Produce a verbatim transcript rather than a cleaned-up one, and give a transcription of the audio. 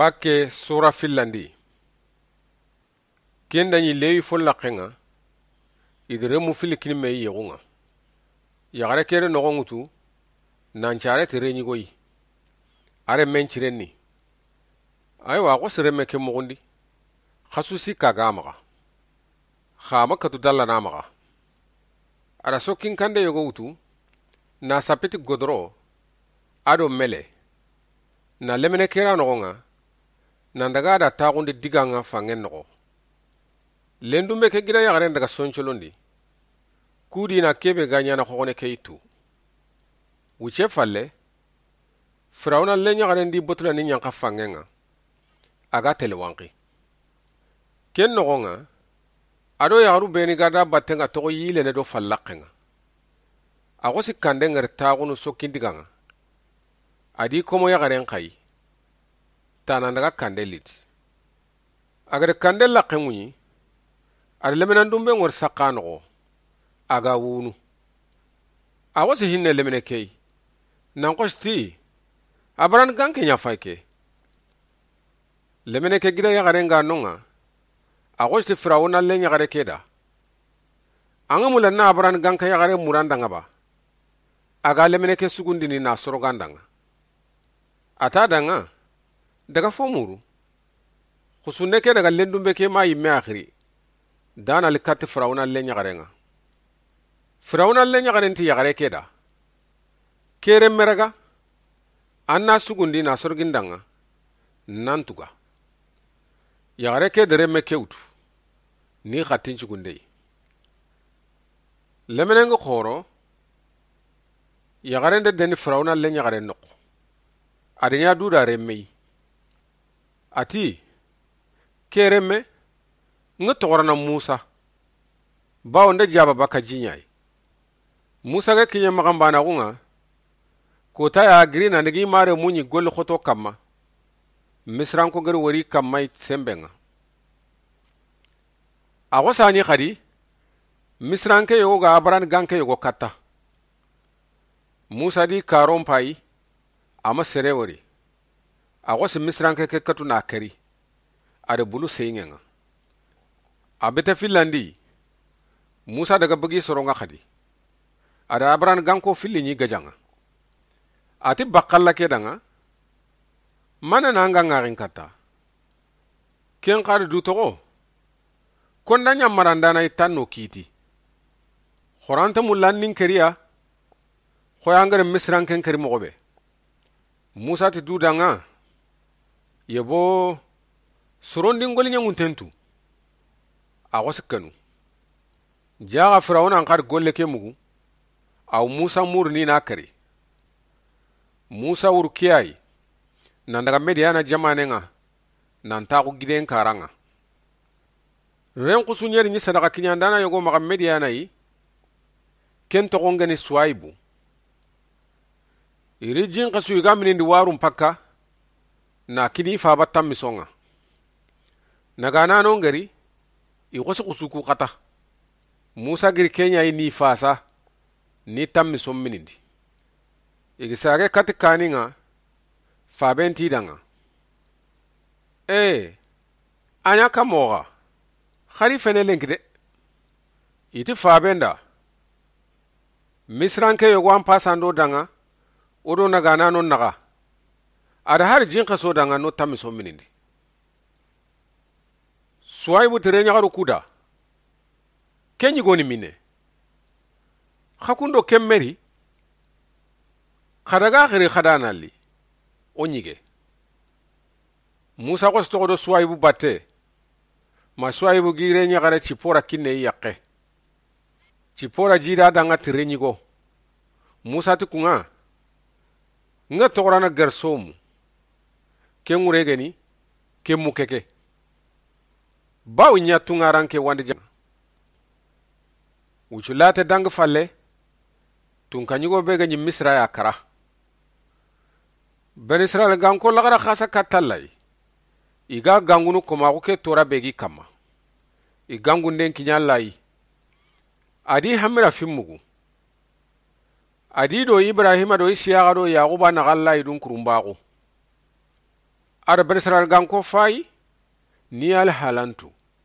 Pakke sura fillandi. Ken da ɲi Lewi fo laqqen ŋa, i da renmu filli kini me yexun ŋa. Yaxare ke da noxon ŋutu, nan care ti renɲigoyi. A renmen cirenni. Aywa, a xo si renme ke muxundi. Xasu sikka ga maxa. Xa ma katu dalla na maxa. A da sokkin kande yogo wutu, na sappe ti godoro, a do mele, na lemine ke ra noxon ŋa, nan daga a da taxundi digan ŋa fanŋen noxo. Lendunbe ke gida yaxaren daga soncolondi, kudi na kebe ga ɲana xoxone ke yitu. Wuce falle, Firawuna lenɲaxaren di botula ni ɲanxa fanŋen ŋa, a ga tele wanqi. Ken noxon ŋa, a do yaxaru beni ga da batten ŋa toxo yilene do fallaqqen ŋa. A xo si kande ŋari taxunu sokkin digan ŋa. A di komo yaxaren xayi. Tana daga kande liti. A ga da kande laqqen ŋuɲi, a da lemenandunbe ŋori saxa noxo, a ga wunu. A xo si hinne lemine ke yi, nan xo si ti, a baran ganke ɲa fay ke. Lemine ke gida yaxaren ga noŋa, a xo si ti Firawuna lenɲaxare ke da. An ga mula na a baran ganke yaxare muran da ŋa ba, a ga lemine ke sugundini na sorogan da ŋa. A ta da ŋa, daga fo muru. Xusunne ke daga lendunbe ke ma yimme axiri. Dana li katti Firawuna lenɲaxaren ŋa. Firawuna lenɲaxaren ti yaxare ke da. Ke renme raga, an na sugundi na sorogin da ŋa, nan tuga. Yaxare ke da renme ke wutu, ni xattin cugundeyi. Leminen ŋa xoro, yaxaren da deni Firawuna lenɲaxaren noxo. A da ɲa duda renme yi. A ti, ke renme, ŋa toxorana Musa. Bawo nda jaba baka jiɲayi. Musa ga kiɲe maxanbanaxun ŋa, kota ya giri na ndigi mare muɲi golli xoto kamma. Misiranko gari wori kamma yi semben ŋa. A xo sani xadi, Misiranke yogo ga a baran ganke yogo katta. Musa di karon payi, a ma sere wori. A xo si Misiranke ke katu na keri. A da bulu seyinŋen ŋa. A bete fillandi, Musa daga bagi soron ŋa xadi. A da a baran ganko filli ɲi gajan ŋa. A ti bakkalla ke da ŋa, mane na an ga ŋaxin katta. Ken xadi du toxo, konda ɲa marandana yi tanno kiti. Xoranta mullan nin keriya, xoyangare Misiranken keri moxo be. Musa ti duda ŋa, yebo, sorondin goli ɲaŋunten tu. A xo sikkanu. Jaxa Firawuna n xadi golle ke mugu, aw Musa muru ni na kari. Musa wuru kiyayi, nan daga Mediyana jamanen ŋa, nan taxu giden karan ŋa. Ren xusu ɲeri ɲi sadaxa kiɲandana yogo maxa Mediyana yi, ken toxon geni Suwayibu. I ri jin xasu i ga minindi warun pakka, na kini faba tammison ŋa. Naganano ngeri, i xosi xusu ku xata. Musa giri keɲa yi ni fasa, ni tammison minindi. I gi sage kati kanin ŋa, faben ti da ŋa. Ee, a ɲa ka moxa, xari fene lenki de. I ti faben da. Misiranke yogo an pasando da ŋa, o do naganano naxa. A da hari jin xaso da ŋa no tammison minindi. Suwayibu tere ɲaxaru kuda. Ken ɲigoni mine. Xa kundo ken meri. Xa daga xiri xa da nalli. O ɲige. Musa xosi toxo do Suwayibu batte. Ma Suwayibu gire ɲaxare Cipora kinne yi yaxe. Cipora jida da ŋa tere ɲigo. Musa ti kun ŋa. Ŋa toxorana Gersomu. Ken ŋure geni, ken mu keke. Bawo ɲa tunŋaranke wandi jama. Wucu late dangi falle, tunka ɲigo be ga ɲi Misira ya kara. Bani Israyila ganko laxara xasa katta Alla yi. I ga gangunu komaxu ke tora be gi kamma. I gangunden kiɲa Alla yi. A di hamira fimmugu. A di do Ibrahima do Isiyaxa do Yaxuba naxa Alla yi dun kurumbaxu. A da Bani Israila ganko fayi, ni alhalantu.